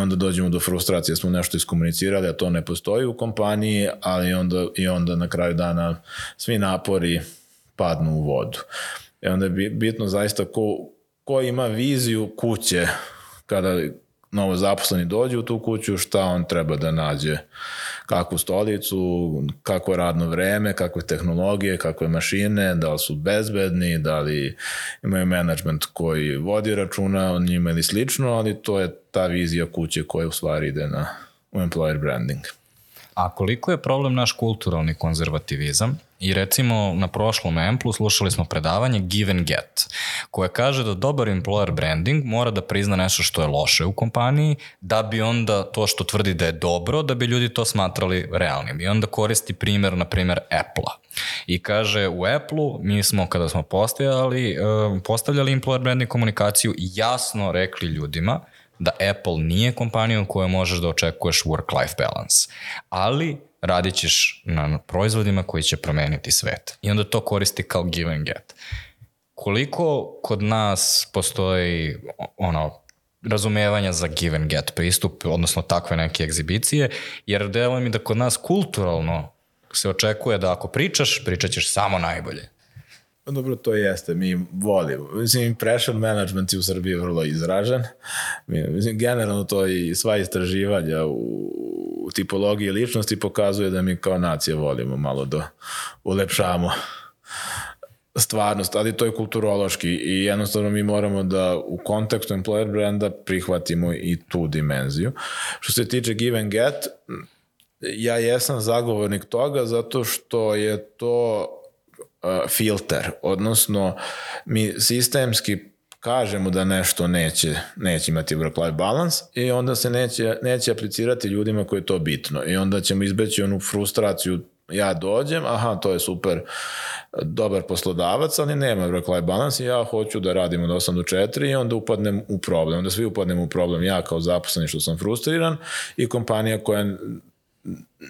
onda dođemo do frustracije da smo nešto iskomunicirali, a to ne postoji u kompaniji, ali onda na kraju dana svi napori padnu u vodu. I onda je bitno zaista ko ima viziju kuće kada novo zaposleni dođe u tu kuću, šta on treba da nađe, kakvu stolicu, kakvo radno vreme, kakve tehnologije, kakve mašine, da li su bezbedni, da li imaju menadžment koji vodi računa o njima ili slično, ali to je ta vizija kuće koja u stvari ide u employer branding. A koliko je problem naš kulturalni konzervativizam? I recimo na prošlom Amplu slušali smo predavanje Give and Get, koje kaže da dobar employer branding mora da prizna nešto što je loše u kompaniji, da bi onda to što tvrdi da je dobro, da bi ljudi to smatrali realnim. I onda koristi primjer, na primjer, Apple-a. I kaže, u Apple-u mi smo, kada smo postavljali employer branding komunikaciju, jasno rekli ljudima da Apple nije kompanija u kojoj možeš da očekuješ work-life balance. Ali radit ćeš na proizvodima koji će promeniti svet. I onda to koristi kao give and get. Koliko kod nas postoji razumevanja za give and get pristup, odnosno takve neke egzibicije, jer deluje mi da kod nas kulturalno se očekuje da ako pričaš, pričat ćeš samo najbolje. Dobro, to jeste, mi volimo. Mislim, pressure management u Srbiji je vrlo izražen. Mislim, generalno to i sva istraživanja u tipologiji ličnosti pokazuje da mi kao nacija volimo malo da ulepšamo stvarnost, ali to je kulturološki i jednostavno mi moramo da u kontekstu employer branda prihvatimo i tu dimenziju. Što se tiče give and get, ja jesam zagovornik toga zato što je to filter, odnosno mi sistemski kažemo da nešto neće imati work-life balance i onda se neće aplicirati ljudima koji je to bitno i onda ćemo izbeći onu frustraciju, ja dođem, aha, to je super, dobar poslodavac, ali nema work-life balance i ja hoću da radim od 8 do 4 i onda upadnem u problem, onda svi upadnemo u problem, ja kao zaposleni što sam frustriran i kompanija koja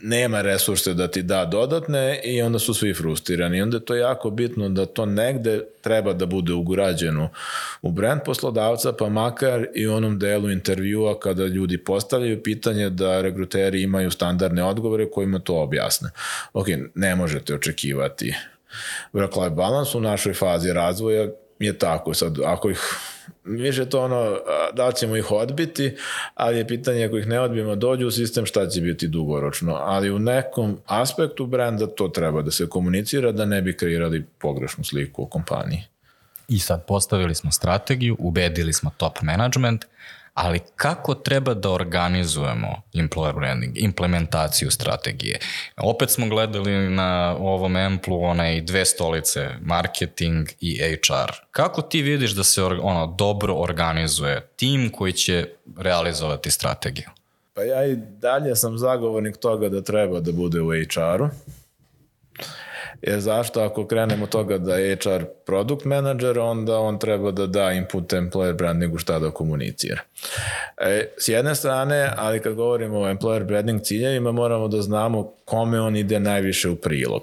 nema resurse da ti da dodatne i onda su svi frustrirani. I onda je to jako bitno da to negde treba da bude ugrađeno u brand poslodavca, pa makar i u onom delu intervjua kada ljudi postavljaju pitanje da regruteri imaju standardne odgovore kojima to objasne. Ok, ne možete očekivati work-life balance u našoj fazi razvoja je tako. Sad, ako ih više to da li ćemo ih odbiti, ali je pitanje ako ih ne odbijemo, dođu u sistem, šta će biti dugoročno. Ali u nekom aspektu brenda to treba da se komunicira da ne bi kreirali pogrešnu sliku o kompaniji. I sad postavili smo strategiju, ubedili smo top management, ali kako treba da organizujemo employer branding, implementaciju strategije? Opet smo gledali na ovom Amplu dve stolice, marketing i HR. Kako ti vidiš da se dobro organizuje tim koji će realizovati strategiju? Pa ja i dalje sam zagovornik toga da treba da bude u HR-u. Jer zašto ako krenemo od toga da je HR product manager, onda on treba da da input employer brandingu šta da komunicira. S jedne strane, ali kad govorimo o employer branding ciljevima, moramo da znamo kome on ide najviše u prilog.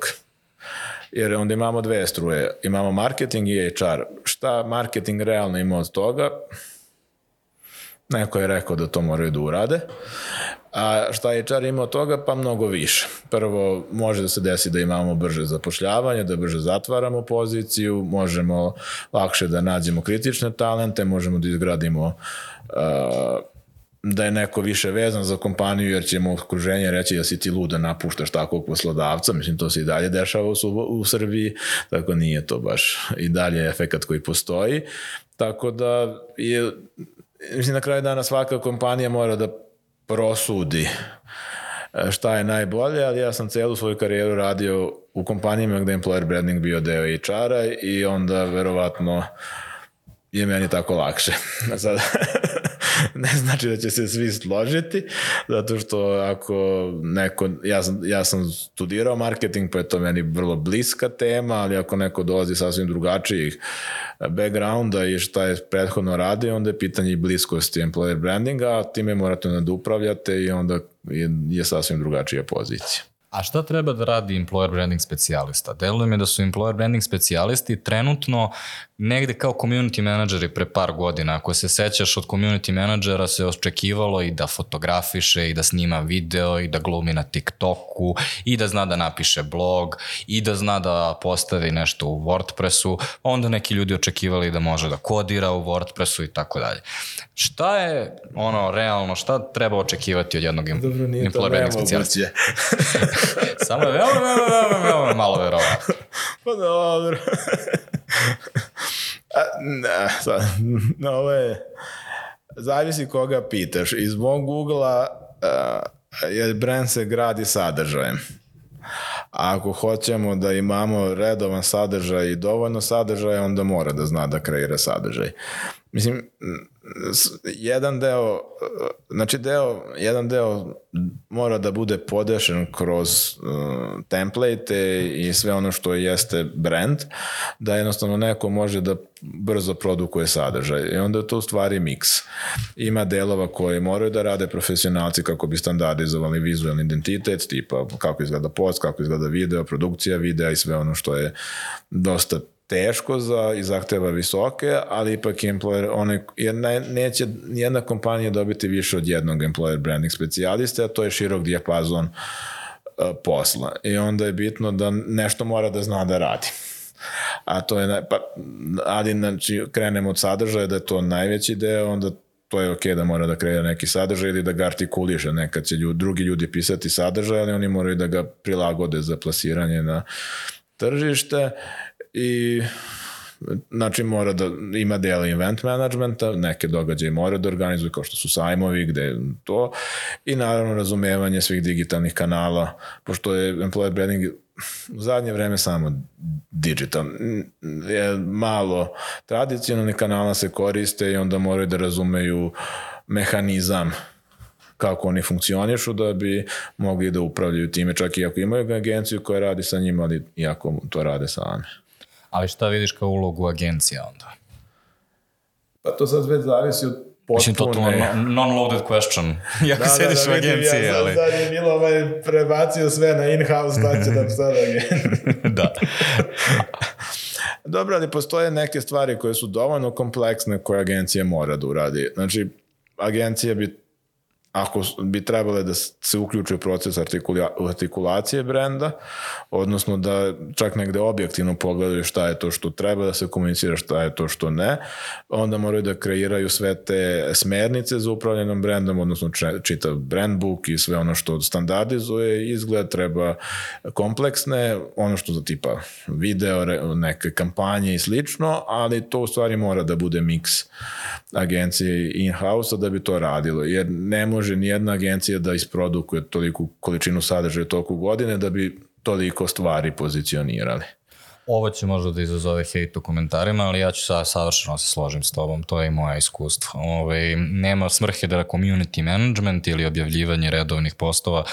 Jer onda imamo dve struje, imamo marketing i HR. Šta marketing realno ima od toga? Neko je rekao da to moraju da urade. A šta HR ima od toga? Pa mnogo više. Prvo, može da se desi da imamo brže zapošljavanje, da brže zatvaramo poziciju, možemo lakše da nađemo kritične talente, možemo da izgradimo da je neko više vezan za kompaniju jer ćemo okruženje reći da si ti lud da napuštaš takvog poslodavca. Mislim, to se i dalje dešava u Srbiji, tako nije to baš i dalje efekat koji postoji. Tako da je, mislim, na kraju dana svaka kompanija mora da prosudi šta je najbolje, ali ja sam celu svoju karijeru radio u kompanijama gde je employer branding bio deo HR-a i onda verovatno je meni tako lakše. Sad, ne znači da će se svi složiti, zato što ako neko, ja sam studirao marketing, pa je to meni vrlo bliska tema, ali ako neko dolazi sasvim drugačijih backgrounda i šta je prethodno radio, onda je pitanje i bliskosti employer brandinga, a time morate da upravljate i onda je sasvim drugačija pozicija. A šta treba da radi employer branding specijalista? Deluje mi da su employer branding specijalisti trenutno negde kao community menadžeri pre par godina. Ako se sećaš, od community menadžera se očekivalo i da fotografiše, i da snima video, i da glumi na TikToku, i da zna da napiše blog, i da zna da postavi nešto u WordPressu. Onda neki ljudi očekivali da može da kodira u WordPressu i tako dalje. Šta je realno, šta treba očekivati od jednog employer branding specijalista? Samo je veoma malo verovatno. Pa dobro. Ovo je, zavisi koga pitaš. Iz mog ugla jer brand se gradi sadržajem. A ako hoćemo da imamo redovan sadržaj i dovoljno sadržaja, onda mora da zna da kreira sadržaj. Mislim, jedan deo mora da bude podešen kroz template i sve ono što jeste brand, da jednostavno neko može da brzo produkuje sadržaj. I onda je to u stvari miks. Ima delova koji moraju da rade profesionalci kako bi standardizovali vizualni identitet, tipa kako izgleda post, kako izgleda video, produkcija videa i sve ono što je dosta teško i zahteva visoke, ali ipak jer neće nijedna kompanija dobiti više od jednog employer branding specijaliste, a to je širok dijapazon posla. I onda je bitno da nešto mora da zna da radi. A to je, ali znači, krenemo od sadržaja, da je to najveći deo, onda to je okej da mora da kreira neki sadržaj ili da ga artikuliše. Nekad će drugi ljudi pisati sadržaj, ali oni moraju da ga prilagode za plasiranje na tržište. I znači mora da ima dela event managementa, neke događaje mora da organizuje kao što su sajmovi, gde je to, i naravno razumevanje svih digitalnih kanala, pošto je employer branding u zadnje vreme samo digital. Malo tradicionalnih kanala se koriste i onda moraju da razumeju mehanizam kako oni funkcionišu da bi mogli da upravljaju time, čak i ako imaju agenciju koja radi sa njima, ali i ako to rade sami. Ali šta vidiš kao ulogu agencija onda? Pa to sad već zavisi od potpune... Mislim, to non-loaded question. Jako sediš u agenciji, ali... Ja sad je bilo prebacio sve na in-house, da će da sada Da. Dobro, ali postoje neke stvari koje su dovoljno kompleksne koje agencija mora da uradi. Znači, agencija bi ako bi trebale da se uključuje proces artikulacije brenda, odnosno da čak negde objektivno pogledaju šta je to što treba da se komunicira, šta je to što ne, onda moraju da kreiraju sve te smernice za upravljanjem brendom, odnosno čitav brand book i sve ono što standardizuje izgled, treba kompleksne, ono što za tipa video, neke kampanje i slično, ali to u stvari mora da bude miks agencije in-house da bi to radilo, jer ne može nijedna agencija da isprodukuje toliku količinu sadržaja toliko godine da bi toliko stvari pozicionirali. Ovo će možda da izazove hejt u komentarima, ali ja ću savršeno se složim s tobom, to je i moje iskustvo. Nema svrhe da community management ili objavljivanje redovnih postova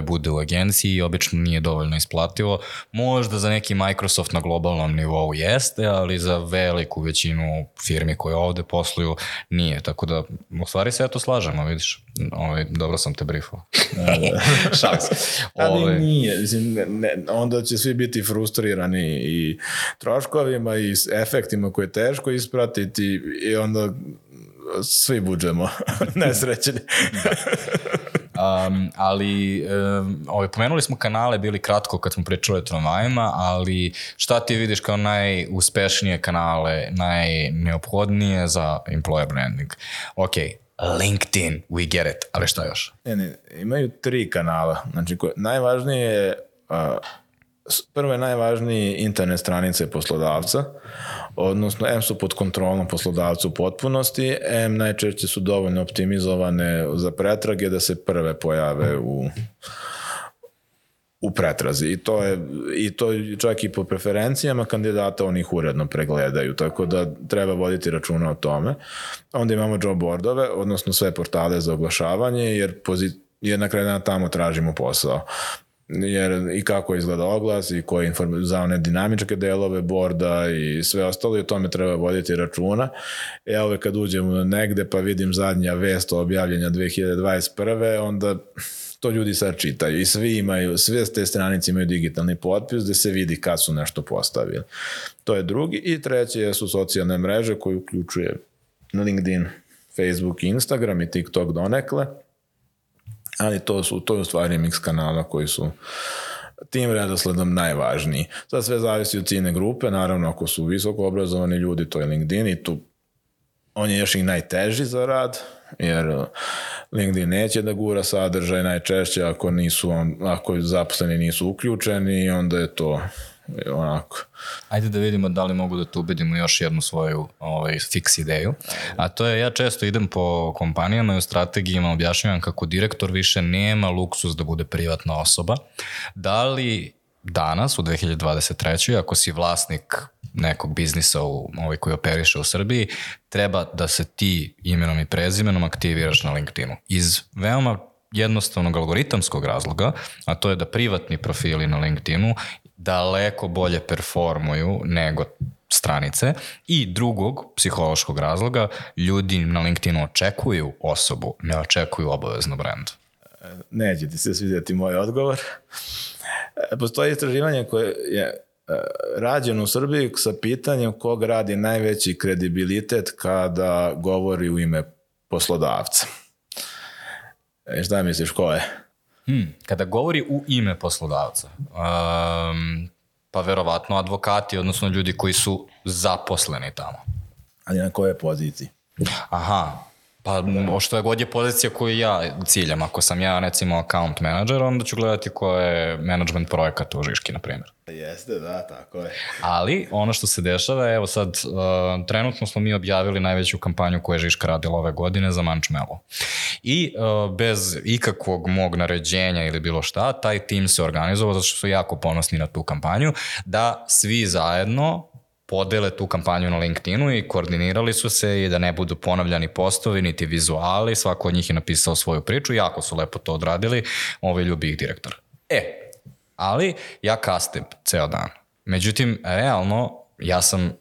bude u agenciji i obično nije dovoljno isplativo. Možda za neki Microsoft na globalnom nivou jeste, ali za veliku većinu firmi koje ovde posluju nije. Tako da, u stvari se ja to slažemo, vidiš. Dobro sam te briefao. Šalim se. Ali nije. Onda će svi biti frustrirani i troškovima i efektima koje je teško ispratiti i onda svi buđemo nesrećeni. Ali pomenuli smo kanale, bili kratko kad smo pričali o tramvajima, ali šta ti vidiš kao najuspešnije kanale, najneophodnije za employer branding? LinkedIn, we get it, ali šta još? Imaju 3 kanala. Znači, najvažnije je prvo je najvažniji internet stranice poslodavca, odnosno M su pod kontrolom poslodavca u potpunosti, M najčešće su dovoljno optimizovane za pretrage da se prve pojave u pretrazi. I to čak i po preferencijama kandidata oni ih uredno pregledaju, tako da treba voditi računa o tome. Onda imamo job boardove, odnosno sve portale za oglašavanje, jer na kraju dana tamo tražimo posao. Jer i kako izgleda oglas i koje za one dinamičke delove borda i sve ostalo i o tome treba voditi računa. Evo kad uđemo negde pa vidim zadnja vest o objavljenja 2021. onda to ljudi sad čitaju i sve te stranice imaju digitalni potpis gde se vidi kad su nešto postavili. To je drugi. I treće su socijalne mreže koje uključuje LinkedIn, Facebook, Instagram i TikTok donekle. Ali to je u stvari mix kanala koji su tim redosledom najvažniji. Sad sve zavisi od ciljne grupe, naravno ako su visoko obrazovani ljudi, to je LinkedIn i tu on je još i najteži za rad, jer LinkedIn neće da gura sadržaj najčešće ako zaposleni nisu uključeni, onda je to onako. Ajde da vidimo da li mogu da tu ubedimo još jednu svoju fiks ideju. A to je, ja često idem po kompanijama i u strategijama objašnjavam kako direktor više nema luksuz da bude privatna osoba. Da li danas, u 2023. ako si vlasnik nekog biznisa koji operiše u Srbiji, treba da se ti imenom i prezimenom aktiviraš na LinkedInu. Iz veoma jednostavnog algoritamskog razloga, a to je da privatni profili na LinkedInu daleko bolje performuju nego stranice, i drugog psihološkog razloga, ljudi na LinkedInu očekuju osobu, ne očekuju obavezno brand. Neće ti se svidjeti moj odgovor. Postoji istraživanje koje je rađeno u Srbiji sa pitanjem kog radi najveći kredibilitet kada govori u ime poslodavca. Šta misliš, ko je? Kada govori u ime poslodavca, pa verovatno advokati, odnosno ljudi koji su zaposleni tamo. Ali na kojoj poziciji? Aha, pa što je god je pozicija koju ja ciljam. Ako sam ja, recimo, account manager, onda ću gledati ko je management projekata u Žiški, na primjer. Jeste, da, tako je. Ali ono što se dešava, evo sad, trenutno smo mi objavili najveću kampanju koju je Žiška radila ove godine za Mančmelo. I bez ikakvog mog naređenja ili bilo šta, taj tim se organizovao, zato što su jako ponosni na tu kampanju, da svi zajedno podele tu kampanju na LinkedInu i koordinirali su se i da ne budu ponavljani postovi niti vizuali, svako od njih je napisao svoju priču, jako su lepo to odradili, ljubi ih direktor. Ali ja kastim ceo dan. Međutim, realno, ja sam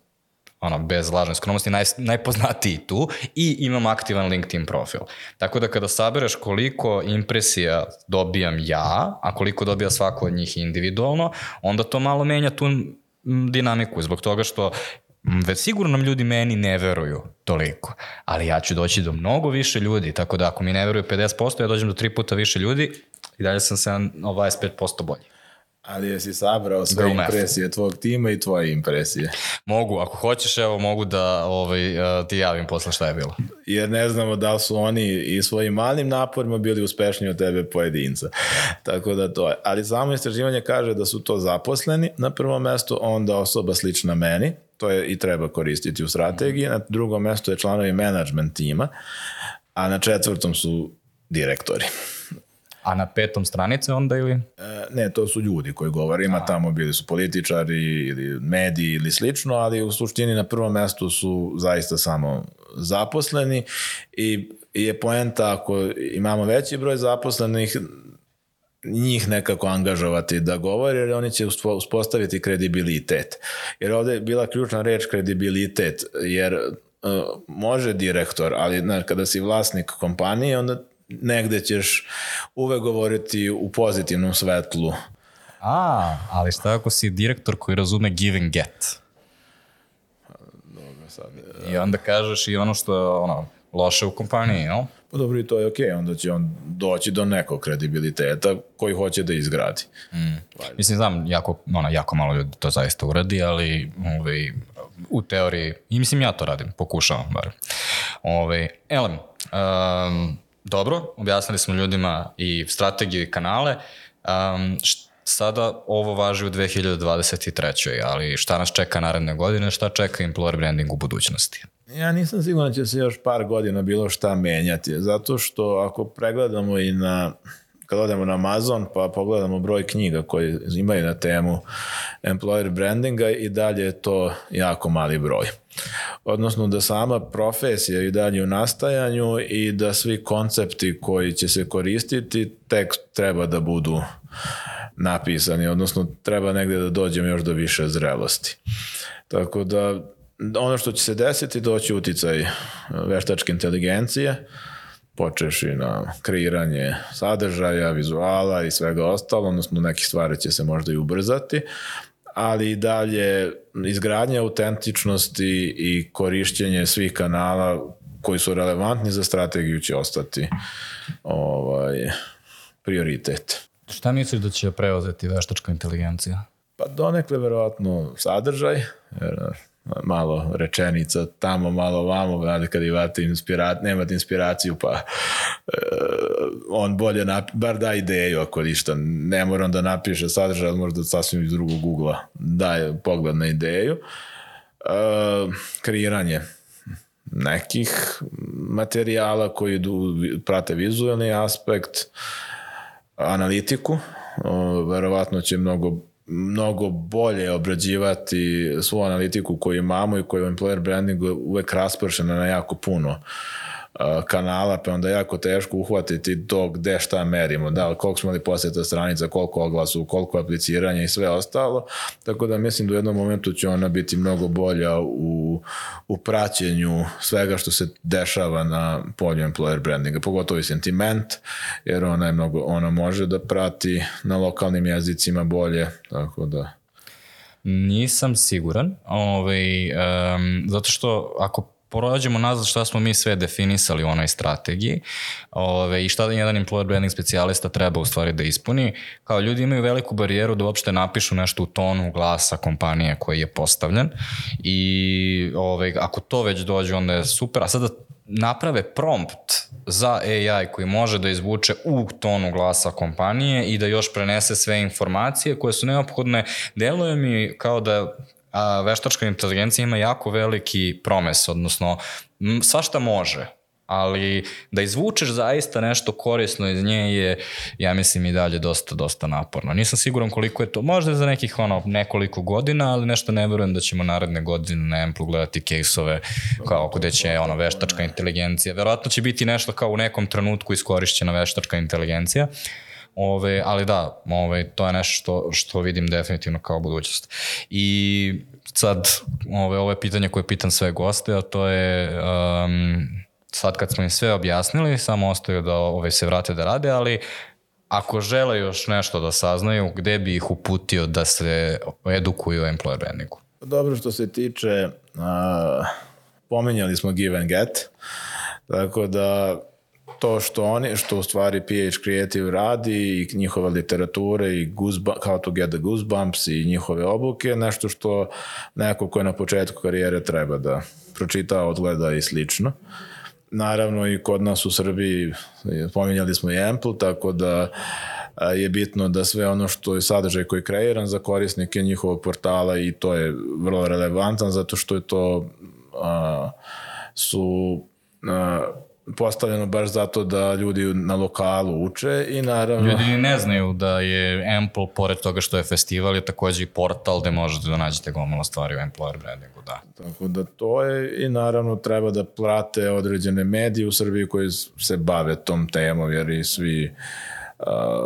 bez lažne skromnosti najpoznatiji tu i imam aktivan LinkedIn profil. Tako da kada sabereš koliko impresija dobijam ja, a koliko dobija svako od njih individualno, onda to malo menja tu dinamiku, zbog toga što već sigurno nam ljudi meni ne veruju toliko, ali ja ću doći do mnogo više ljudi, tako da ako mi ne veruju 50%, ja dođem do 3 puta više ljudi i dalje sam 25% bolji. Ali jesi sabrao sve impresije tvojeg tima i tvoje impresije? Mogu, ako hoćeš, evo mogu da ti javim posle šta je bilo. Jer ne znamo da li su oni i svojim malim naporima bili uspešniji od tebe pojedinca. Tako da to je. Ali samo istraživanje kaže da su to zaposleni na prvom mjestu, onda osoba slična meni, to je i treba koristiti u strategiji, na drugom mjestu je članovi management tima, a na 4. su direktori. A na 5. stranice onda ili? Ne, to su ljudi koji govore. Ima tamo, bili su političari ili mediji ili slično, ali u suštini na prvom mjestu su zaista samo zaposleni i je poenta ako imamo veći broj zaposlenih, njih nekako angažovati da govore, jer oni će uspostaviti kredibilitet. Jer ovdje je bila ključna reč kredibilitet, jer može direktor, ali kada si vlasnik kompanije, onda negde ćeš uvek govoriti u pozitivnom svetlu. Ali šta ako si direktor koji razume give and get? Dobro, sad. I onda kažeš i ono što je loše u kompaniji, jel? Pa dobro, i to je okej, onda će on doći do nekog kredibiliteta koji hoće da izgradi. Mislim, znam, jako malo ljudi to zaista uradi, ali u teoriji, i mislim ja to radim, pokušavam bar. Elem, dobro, objasnili smo ljudima i strategiju i kanale. Sada ovo važi u 2023. ali šta nas čeka naredne godine, šta čeka employer branding u budućnosti? Ja nisam siguran da će se još par godina bilo šta menjati, zato što ako pregledamo kad odemo na Amazon pa pogledamo broj knjiga koje imaju na temu employer brandinga, i dalje je to jako mali broj. Odnosno da sama profesija i dalje u nastajanju i da svi koncepti koji će se koristiti tek treba da budu napisani, odnosno treba negdje da dođemo još do više zrelosti. Tako da ono što će se desiti, doći uticaj veštačke inteligencije, počeš i na kreiranje sadržaja, vizuala i svega ostalo, odnosno neke stvari će se možda i ubrzati, ali i dalje izgradnja autentičnosti i korišćenje svih kanala koji su relevantni za strategiju će ostati prioritet. Šta misliš da će preuzeti veštačka inteligencija? Pa donekle verovatno sadržaj, jer malo rečenica tamo, malo vamo, znate, kad nemate inspiraciju, pa on bolje bar da ideju ako ništa, ne moram da napiše sadržaj, ali možda sasvim iz drugog ugla daje pogled na ideju. Kreiranje nekih materijala koji prate vizualni aspekt, analitiku, verovatno će mnogo bolje obrađivati svu analitiku koju imamo i koju je employer branding uvek raspršena na jako puno kanala, pa onda jako teško uhvatiti to gde šta merimo, da, koliko smo li posjeta stranica, koliko oglasu, koliko apliciranja i sve ostalo, tako da mislim da u jednom momentu će ona biti mnogo bolja u praćenju svega što se dešava na polju employer brandinga, pogotovo i sentiment, jer ona može da prati na lokalnim jezicima bolje, tako da... Nisam siguran, zato što ako prođemo nazad šta smo mi sve definisali u onoj strategiji i šta jedan employer branding specijalista treba u stvari da ispuni. Kao ljudi imaju veliku barijeru da uopšte napišu nešto u tonu glasa kompanije koji je postavljen i ako to već dođe onda je super, a sada naprave prompt za AI koji može da izvuče u tonu glasa kompanije i da još prenese sve informacije koje su neophodne. Deluje mi kao da veštačka inteligencija ima jako veliki promes, odnosno svašta može, ali da izvučeš zaista nešto korisno iz nje je, ja mislim, i dalje dosta naporno. Nisam siguran koliko je to, možda za nekih nekoliko godina, ali nešto ne verujem da ćemo naredne godine na Amplu gledati case-ove kao gde će veštačka inteligencija. Verovatno će biti nešto kao u nekom trenutku iskorišćena veštačka inteligencija, ali da, to je nešto što vidim definitivno kao budućnost. I sad, ovo je pitanje koje pitam sve goste, a to je, sad kad smo im sve objasnili, samo ostaju da se vrate da rade, ali ako žele još nešto da saznaju, gde bi ih uputio da se edukuju o employer brandingu? Dobro, što se tiče, pominjali smo Give and Get, tako da to što u stvari PH Creative radi i njihova literatura i How to Get the Goosebumps i njihove obuke, nešto što neko ko je na početku karijere treba da pročita, odgleda i slično. Naravno i kod nas u Srbiji pominjali smo i Ample, tako da je bitno da sve ono što je sadržaj koji je kreiran za korisnike njihovog portala i to je vrlo relevantan zato što je to postavljeno baš zato da ljudi na lokalu uče i naravno... Ljudi ne znaju da je Ample, pored toga što je festival, je takođe i portal gde možete da nađete gomilu stvari u employer brandingu, da. Tako da to je i naravno treba da prate određene medije u Srbiji koji se bave tom temom, jer i svi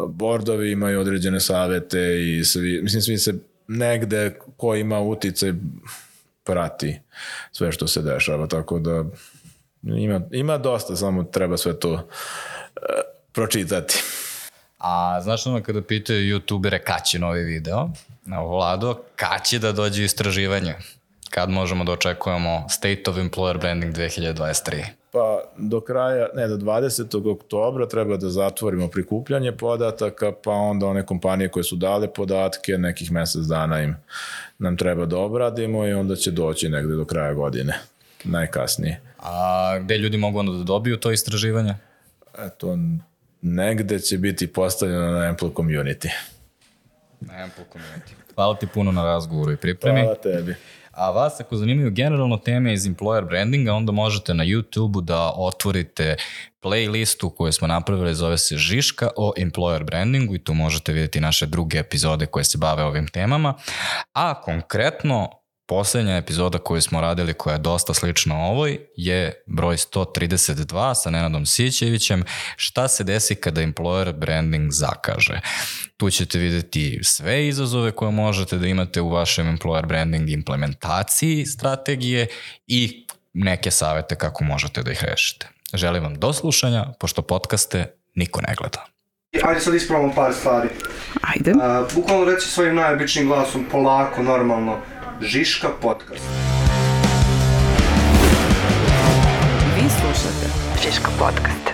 bordovi imaju određene savete i svi se negde ko ima uticaj prati sve što se dešava, tako da ima dosta, samo treba sve to pročitati. A znaš ono kada pitaju youtubere kad će novi video, Vlado, kad će da dođe istraživanje? Kad možemo da očekujemo State of Employer Branding 2023? Pa do 20. oktobra treba da zatvorimo prikupljanje podataka, pa onda one kompanije koje su dale podatke, nekih mesec dana nam treba da obradimo i onda će doći negde do kraja godine, najkasnije. A gde ljudi mogu onda da dobiju to istraživanje? Eto, negde će biti postavljeno na Ample Community. Na Ample Community. Hvala ti puno na razgovoru i pripremi. Hvala tebi. A vas ako zanimaju generalno teme iz employer brandinga, onda možete na YouTube-u da otvorite playlistu koju smo napravili, zove se Žiška o employer brandingu i tu možete vidjeti naše druge epizode koje se bave ovim temama. A konkretno, poslednja epizoda koju smo radili, koja je dosta slična ovoj, je broj 132 sa Nenadom Sićevićem, šta se desi kada employer branding zakaže. Tu ćete vidjeti sve izazove koje možete da imate u vašem employer branding implementaciji strategije i neke savete kako možete da ih rešite. Želim vam do slušanja, pošto podcaste niko ne gleda. Ajde sad ispravamo par stvari. Ajde. Bukvalno reći svojim najobičnijim glasom, polako, normalno, Žiška podcast. Vi slušate Žiška podcast.